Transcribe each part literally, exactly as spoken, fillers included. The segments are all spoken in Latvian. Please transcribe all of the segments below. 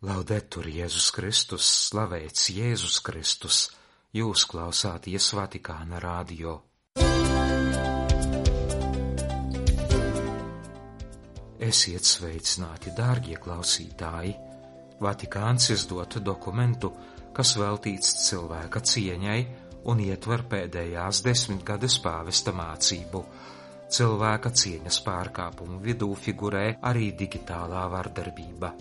Laudetur Jēzus Kristus, slavēts Jēzus Kristus, jūs klausāties Vatikāna radio. Esiet sveicināti, dārgie klausītāji! Vatikāns izdod dokumentu, kas veltīts cilvēka cieņai un ietver pēdējās desmitgades pāvesta mācību. Cilvēka cieņas pārkāpumu vidū figurē arī digitālā vardarbība.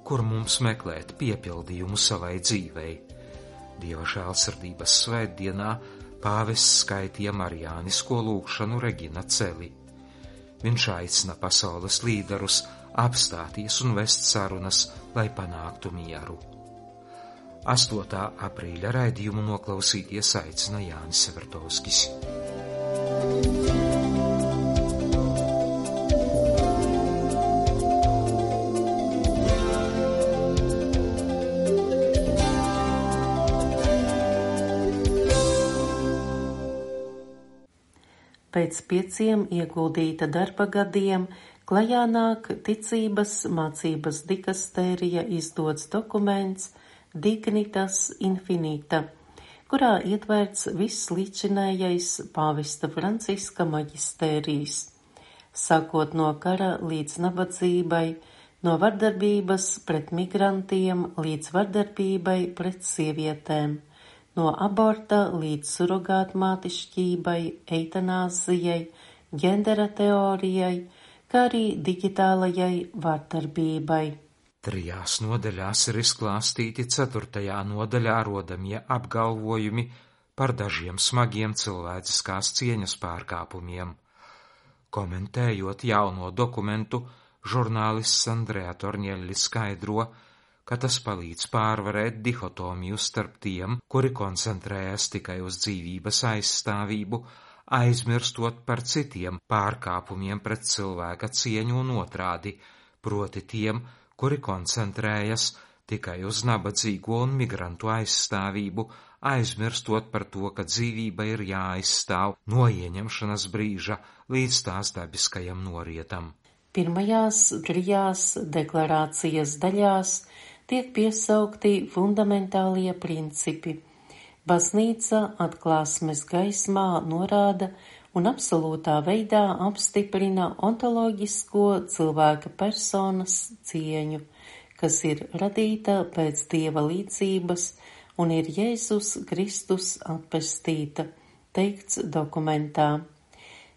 Kur mums meklēt piepildījumu savai dzīvei? Dieva žēlsirdības svētdienā pāvests skaitīja marijānisko lūgšanu Regina Celi. Viņš aicina pasaules līderus apstāties un vest sarunas, lai panāktu mieru. astotā aprīļa raidījumu noklausīties aicina Jānis Severtovskis. Pēc pieciem ieguldīta darba gadiem klajā nāk ticības mācības dikastērija izdots dokuments Dignitas Infinita, kurā ietverts viss līdzinējais pāvesta Franciska maģistērijs, sākot no kara līdz nabadzībai, no vardarbības pret migrantiem līdz vardarbībai pret sievietēm, no aborta līdz surogātmātišķībai, eitanāzijai, ģendera teorijai, kā arī digitālajai vardarbībai. Trijās nodaļās ir izklāstīti ceturtajā nodaļā rodamie apgalvojumi par dažiem smagiem cilvēciskās cieņas pārkāpumiem. Komentējot jauno dokumentu, žurnālists Andrea Tornielli skaidro, ka tas palīdz pārvarēt dihotomiju starp tiem, kuri koncentrējas tikai uz dzīvības aizstāvību, aizmirstot par citiem pārkāpumiem pret cilvēka cieņu un otrādi, proti tiem, kuri koncentrējas tikai uz nabadzīgo un migrantu aizstāvību, aizmirstot par to, ka dzīvība ir jāaizstāv no ieņemšanas brīža līdz tās dabiskajam norietam. Pirmajās trijās deklarācijas daļās tiek piesaukti fundamentālie principi. Baznīca atklāsmes gaismā norāda un absolūtā veidā apstiprina ontoloģisko cilvēka personas cieņu, kas ir radīta pēc Dieva līdzības un ir Jēzus Kristus atpestīta, teikts dokumentā.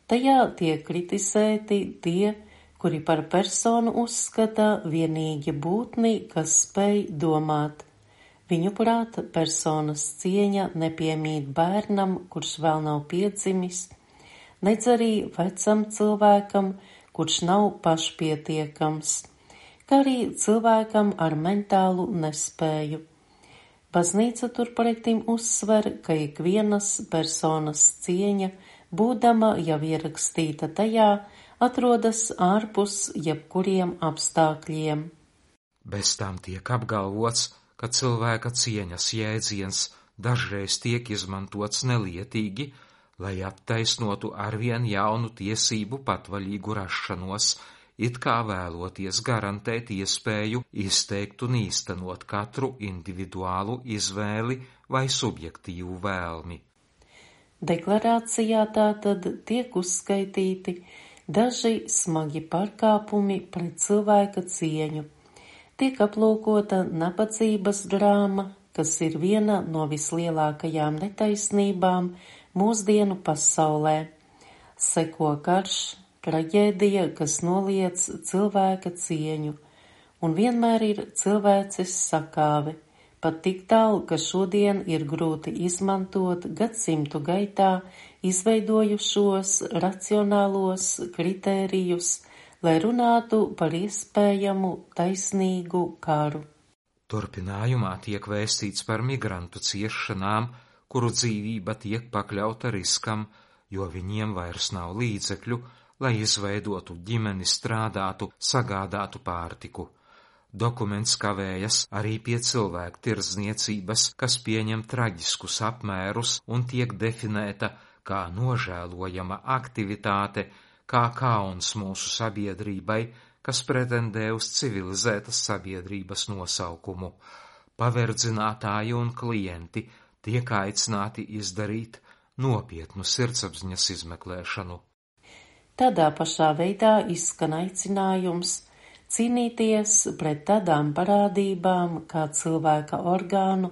Tajā tiek kritizēti tie, kuri par personu uzskata vienīgi būtni, kas spēj domāt. Viņu prāt personas cieņa nepiemīt bērnam, kurš vēl nav piedzimis, nedz arī vecam cilvēkam, kurš nav pašpietiekams, kā arī cilvēkam ar mentālu nespēju. Baznīca turpretim uzsver, ka ikvienas personas cieņa, būdama jau ierakstīta tajā, atrodas ārpus jebkuriem apstākļiem. Bez tam tiek apgalvots, ka cilvēka cieņas jēdziens dažreiz tiek izmantots nelietīgi, lai attaisnotu arvien jaunu tiesību patvaļīgu rašanos, it kā vēloties garantēt iespēju izteikt un īstenot katru individuālu izvēli vai subjektīvu vēlmi. Deklarācijā tātad tiek uzskaitīti daži smagi pārkāpumi pret cilvēka cieņu. Tiek aplūkota nabadzības drāma, kas ir viena no vislielākajām netaisnībām mūsdienu pasaulē. Seko karš, traģēdija, kas noliec cilvēka cieņu, un vienmēr ir cilvēces sakāve, pat tik tālu, ka šodien ir grūti izmantot gadsimtu gaitā izveidojušos racionālos kritērijus, lai runātu par iespējamu taisnīgu karu. Turpinājumā tiek vēstīts par migrantu ciešanām, kuru dzīvība tiek pakļauta riskam, jo viņiem vairs nav līdzekļu, lai izveidotu ģimeni, strādātu, sagādātu pārtiku. Dokuments kavējas arī pie cilvēku tirdzniecības, kas pieņem traģiskus apmērus un tiek definēta kā nožēlojama aktivitāte, kā kauns mūsu sabiedrībai, kas pretendē uz civilizētas sabiedrības nosaukumu. Paverdzinātāji un klienti tiek aicināti izdarīt nopietnu sirdsapziņas izmeklēšanu. Tādā pašā veidā izskan aicinājums cīnīties pret tādām parādībām kā cilvēka orgānu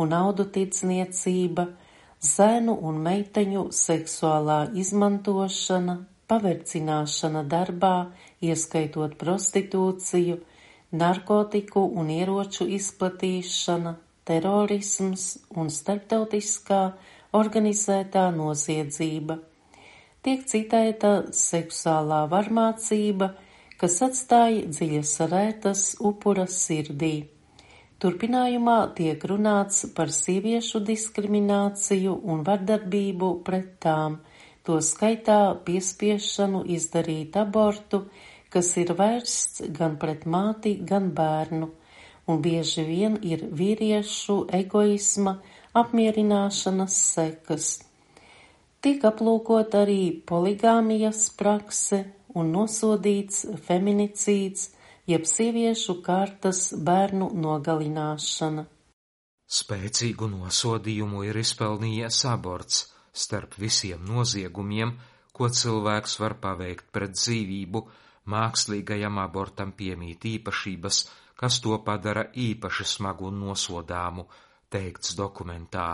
un audu tirdzniecība, zēnu un meiteņu seksuālā izmantošana, paverdzināšana darbā, ieskaitot prostitūciju, narkotiku un ieroču izplatīšana, terorisms un starptautiskā organizētā noziedzība. Tiek citēta seksuālā varmācība, kas atstāja dziļas rētas upura sirdī. Turpinājumā tiek runāts par sieviešu diskrimināciju un vardarbību pret tām, to skaitā piespiešanu izdarīt abortu, kas ir vērsts gan pret māti, gan bērnu, un bieži vien ir vīriešu egoisma apmierināšanas sekas. Tiek aplūkot arī poligāmijas prakse un nosodīts feminicīds, jeb sieviešu kārtas bērnu nogalināšana. Spēcīgu nosodījumu ir izpelnījies aborts starp visiem noziegumiem, ko cilvēks var paveikt pret dzīvību. Mākslīgajam abortam piemīt īpašības, kas to padara īpaši smagu un nosodāmu, teikts dokumentā.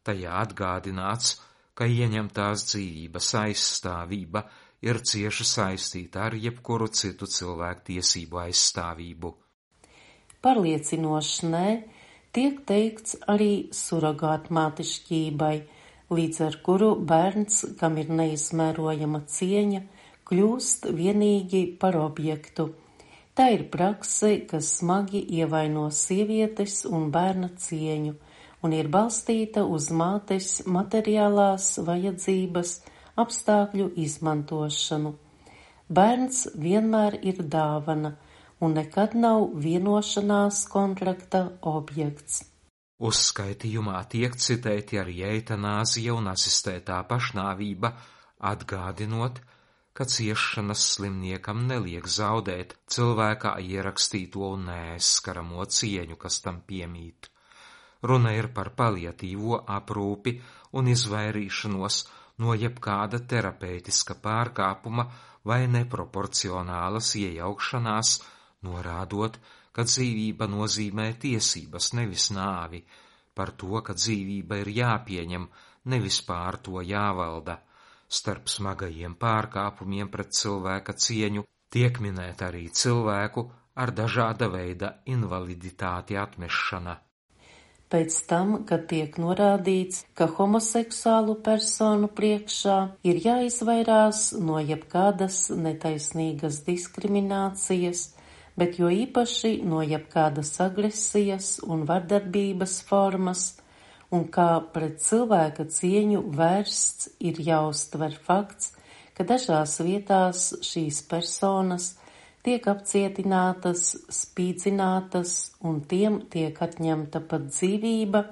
Tajā atgādināts, ka ieņemtās dzīvības aizstāvība ir cieši saistīta ar jebkuru citu cilvēku tiesību aizstāvību. Pārliecinoši nē, tiek teikts arī surogātmātišķībai, līdz ar kuru bērns, kam ir neizmērojama cieņa, kļūst vienīgi par objektu. Tā ir prakse, kas smagi ievaino sievietes un bērna cieņu un ir balstīta uz mātes materiālās vajadzības apstākļu izmantošanu. Bērns vienmēr ir dāvana un nekad nav vienošanās kontrakta objekts. Uzskaitījumā tiek citēti arī eitanāzija un asistētā pašnāvība, atgādinot, ka ciešanas slimniekam neliek zaudēt cilvēkā ierakstīto un neaizskaramo cieņu, kas tam piemīt. Runa ir par paliatīvo aprūpi un izvairīšanos no jebkāda terapeitiska pārkāpuma vai neproporcionālas iejaukšanās, norādot, ka dzīvība nozīmē tiesības, nevis nāvi, par to, ka dzīvība ir jāpieņem, nevis pār to jāvalda. Starp smagajiem pārkāpumiem pret cilvēka cieņu tiek minēta arī cilvēku ar dažāda veida invaliditāti atmešana. Pēc tam, kad tiek norādīts, ka homoseksuālu personu priekšā ir jāizvairās no jebkādas netaisnīgas diskriminācijas, bet jo īpaši no jebkādas agresijas un vardarbības formas, un kā pret cilvēka cieņu vērsts ir jāuztver fakts, ka dažās vietās šīs personas tiek apcietinātas, spīdzinātas un tiem tiek atņemta pat dzīvība,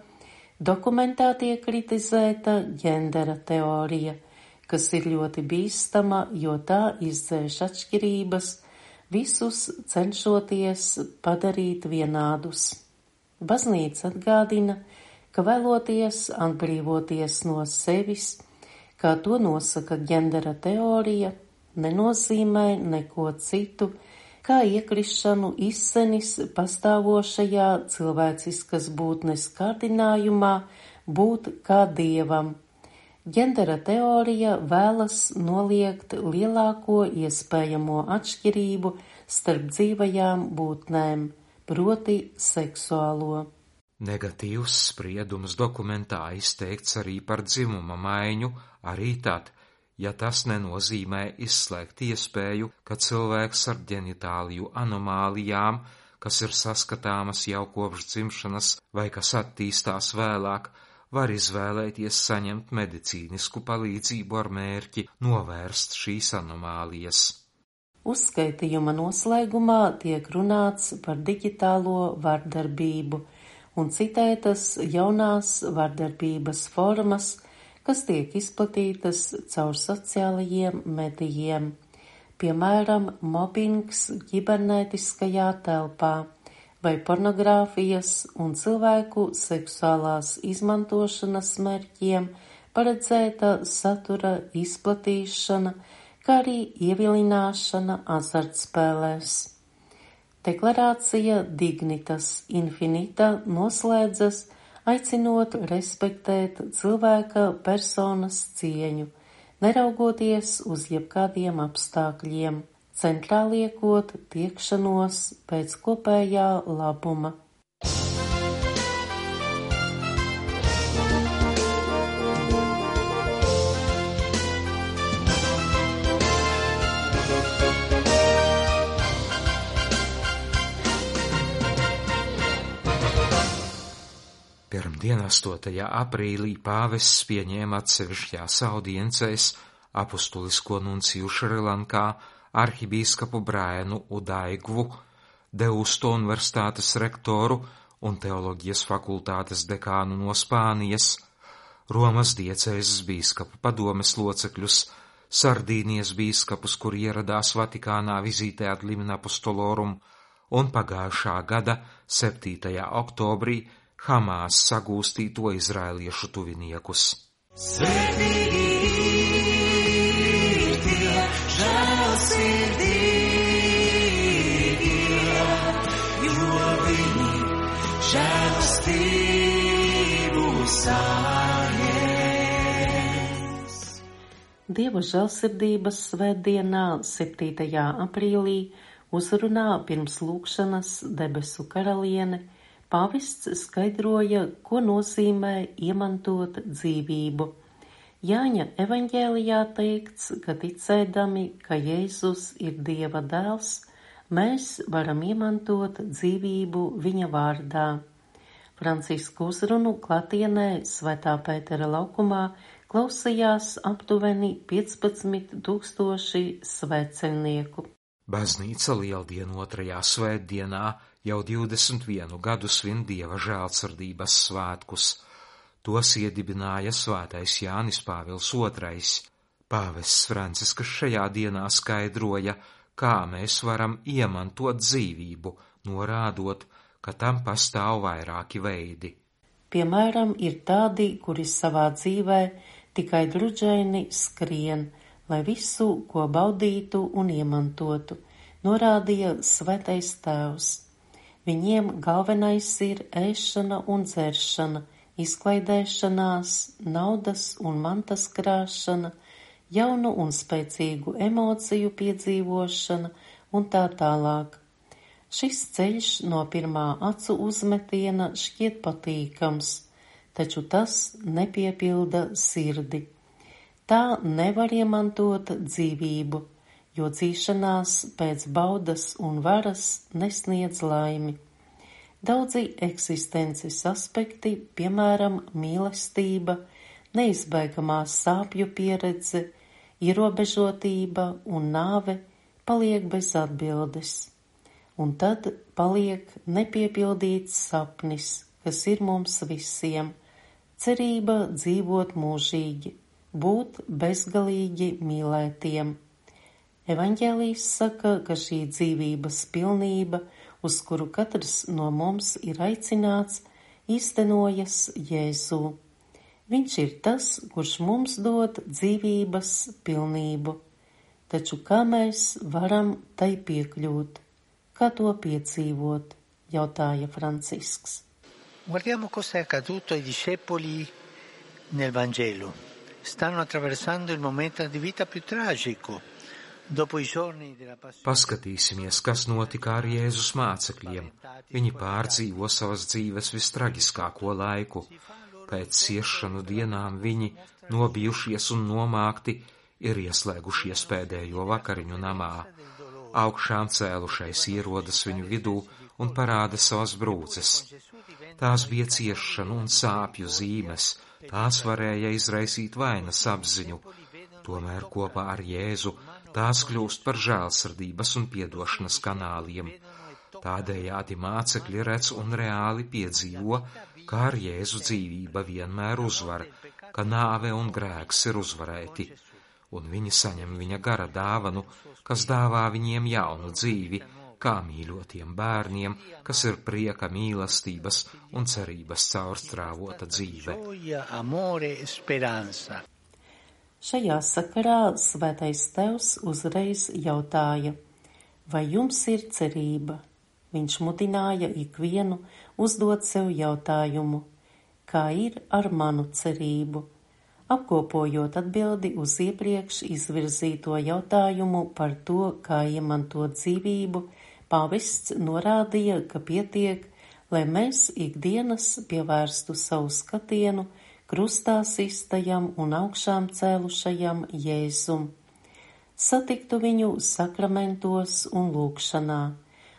dokumentā tiek kritizēta ģendera teorija, kas ir ļoti bīstama, jo tā izdzēš atšķirības, visus cenšoties padarīt vienādus. Baznīca atgādina, ka vēloties atbrīvoties no sevis, kā to nosaka ģendera teorija, nenozīmē neko citu, kā iekrišanu izsenis pastāvošajā cilvēciskas būtnes kārdinājumā būt kā dievam. Ģendera teorija vēlas noliegt lielāko iespējamo atšķirību starp dzīvajām būtnēm, proti seksuālo. Negatīvs spriedums dokumentā izteikts arī par dzimuma maiņu, arī tad, ja tas nenozīmē izslēgt iespēju, ka cilvēks ar ģenitāliju anomālijām, kas ir saskatāmas jau kopš dzimšanas vai kas attīstās vēlāk, var izvēlēties saņemt medicīnisku palīdzību ar mērķi novērst šīs anomālijas. Uzskaitījuma noslēgumā tiek runāts par digitālo vardarbību un citētas jaunās vardarbības formas, kas tiek izplatītas caur sociālajiem medijiem. piemēram, mobbings ķibernētiskajā telpā vai pornogrāfijas un cilvēku seksuālās izmantošanas mērķiem paredzēta satura izplatīšana, kā arī ievilināšana azartspēlēs. Deklarācija Dignitas Infinita noslēdzas, aicinot respektēt cilvēka personas cieņu, neraugoties uz jebkādiem apstākļiem, centrā liekot tiekšanos pēc kopējā labuma. Pirmdien, astotajā aprīlī, pāvests pieņēma atsevišķās audiencēs apustulisko nunciju Šrilankā arhibīskapu Braenu Udaigvu, Deusto universitātes rektoru un teoloģijas fakultātes dekānu no Spānijas, Romas diecēzes bīskapu padomes locekļus, Sardīnijas bīskapus, kuri ieradās Vatikānā vizītē ad limina apostolorum, un pagājušā gada septītajā oktobrī Hamās sagūstīto izraēliešu tuviniekus. Svētīgi ir tie žēlsirdīgie, jo viņi žēlastību saņems. Dieva žēlsirdības svētdienā, septītajā aprīlī, uzrunā pirms lūgšanas debesu karaliene, pāvests skaidroja, ko nozīmē iemantot dzīvību. Jāņa evaņģēlijā teikts, ka ticēdami, ka Jēzus ir Dieva dēls, mēs varam iemantot dzīvību viņa vārdā. Francisku uzrunu klātienē Svētā Pētera laukumā klausījās aptuveni piecpadsmit tūkstoši svētceļnieku. Baznīca Lieldienu otrajā svētdienā jau divdesmit vienu gadu svin Dieva žēlsirdības svētkus. Tos iedibināja svētais Jānis Pāvils otrais. Pāvests Francisks šajā dienā skaidroja, kā mēs varam iemantot dzīvību, norādot, ka tam pastāv vairāki veidi. Piemēram, ir tādi, kuri savā dzīvē tikai druģaini skrien, lai visu, ko baudītu un iemantotu, norādīja Svētais Tēvs. Viņiem galvenais ir ēšana un dzeršana, izklaidēšanās, naudas un mantas krāšana, jaunu un spēcīgu emociju piedzīvošana un tā tālāk. Šis ceļš no pirmā acu uzmetiena šķiet patīkams, taču tas nepiepilda sirdi. Tā nevar iemantot dzīvību, jo dzīšanās pēc baudas un varas nesniedz laimi. Daudzi eksistences aspekti, piemēram, mīlestība, neizbēgamā sāpju pieredze, ierobežotība un nāve, paliek bez atbildes. Un tad paliek nepiepildīts sapnis, kas ir mums visiem, cerība dzīvot mūžīgi, būt bezgalīgi mīlētiem. Evaņģēlijs saka, ka šī dzīvības pilnība, uz kuru katrs no mums ir aicināts, īstenojas Jēzū. Viņš ir tas, kurš mums dod dzīvības pilnību. Taču kā mēs varam tai piekļūt? Kā to piedzīvot? Jautāja Francisks. Guardiamo cosa è accaduto ai discepoli nel Vangelo. Stanno attraversando il momento di vita più tragico. Paskatīsimies, kas notika ar Jēzus mācekļiem. Viņi pārdzīvo savas dzīves vistraģiskāko laiku. Pēc ciešanu dienām viņi, nobijušies un nomākti, ir ieslēgušies pēdējo vakariņu namā. Augšām cēlušais ierodas viņu vidū un parāda savas brūces. Tās bija ciešanu un sāpju zīmes, tās varēja izraisīt vainas apziņu. Tomēr kopā ar Jēzu tās kļūst par žēlsirdības un piedošanas kanāliem. Tādējādi mācekļi redz un reāli piedzīvo, kā ar Jēzu dzīvība vienmēr uzvar, ka nāve un grēks ir uzvarēti. un viņi saņem viņa gara dāvanu, kas dāvā viņiem jaunu dzīvi, kā mīļotiem bērniem, kas ir prieka, mīlestības un cerības caurstrāvota dzīve. Šajā sakarā Svētais Tevs uzreiz jautāja: vai jums ir cerība? Viņš mudināja ikvienu uzdot sev jautājumu: kā ir ar manu cerību? Apkopojot atbildi uz iepriekš izvirzīto jautājumu par to, kā iemantot dzīvību, pāvests norādīja, ka pietiek, lai mēs ikdienas pievērstu savu skatienu krustā sistajam un augšām cēlušajam Jēzum, satiktu viņu sakramentos un lūgšanā,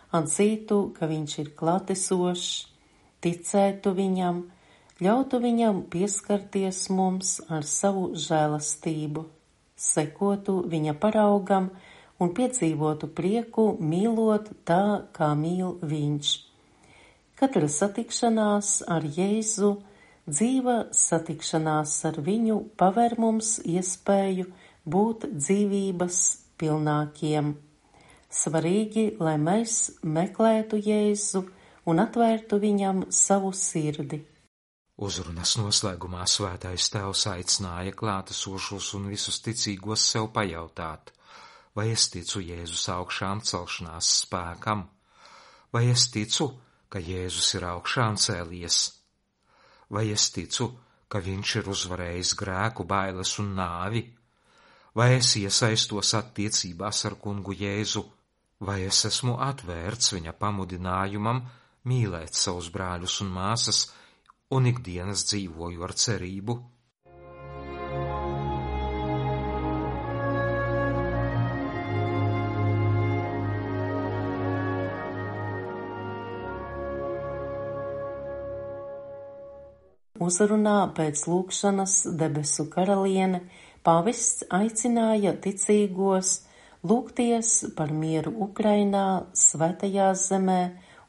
atzītu, ka viņš ir klātesošs, ticētu viņam, ļautu viņam pieskarties mums ar savu žēlastību, sekotu viņa paraugam un piedzīvotu prieku, mīlot tā, kā mīl viņš. Katra satikšanās ar Jēzu, dzīva satikšanās ar viņu paver mums iespēju būt dzīvības pilnākiem. Svarīgi, lai mēs meklētu Jēzu un atvērtu viņam savu sirdi. Uzrunas noslēgumā Svētais Tēvs aicināja klātesošos un visus ticīgos sev pajautāt: vai es ticu Jēzus augšām celšanās spēkam? Vai es ticu, ka Jēzus ir augšām cēlies? Vai es ticu, ka viņš ir uzvarējis grēku, bailes un nāvi? Vai es iesaistos attiecībās ar kungu Jēzu? Vai es esmu atvērts viņa pamudinājumam mīlēt savus brāļus un māsas un ikdienas dzīvoju ar cerību? Uzrunā pēc lūgšanas debesu karaliene pāvests aicināja ticīgos lūgties par mieru Ukrainā, Svētajā zemē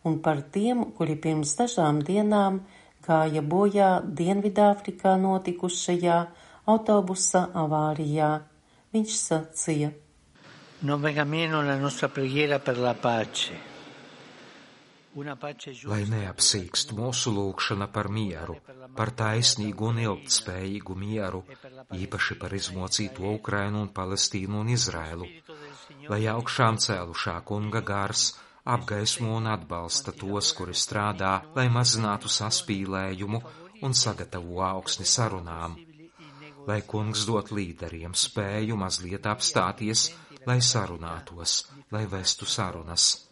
un par tiem, kuri pirms dažām dienām gāja bojā Dienvidāfrikā notikušajā autobusa avārijā. Viņš sacīja: Non venga meno la nostra preghiera per la pace. Lai neapsīkst mūsu lūgšana par mieru, par taisnīgu un ilgtspējīgu mieru, īpaši par izmocīto Ukrainu un Palestīnu un Izraēlu, lai augšām cēlušā kunga gars apgaismo un atbalsta tos, kuri strādā, lai mazinātu saspīlējumu un sagatavo augsni sarunām, lai kungs dot līderiem spēju mazliet apstāties, lai sarunātos, lai vestu sarunas.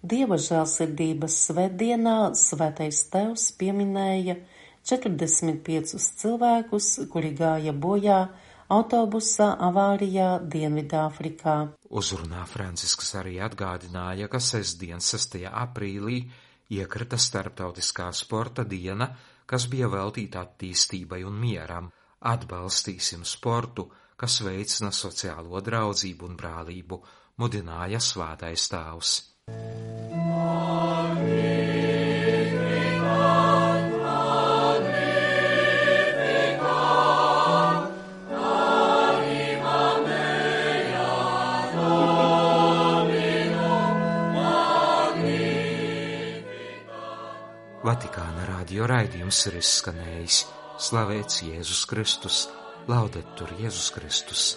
Dieva žēlsirdības svētdienā Svētais Tevs pieminēja četrdesmit piecus cilvēkus, kuri gāja bojā autobusa avārijā Dienvidāfrikā. Uzrunā Francisks arī atgādināja, ka sestdien, sestajā aprīlī, iekrita starptautiskā sporta diena, kas bija veltīta attīstībai un mieram. Atbalstīsim sportu, kas veicina sociālo draudzību un brālību, mudināja Svētais Tēvs. Vatikāna radio raidījums ir izskanējis. Slavēts Jēzus Kristus, laudetur Jēzus Kristus.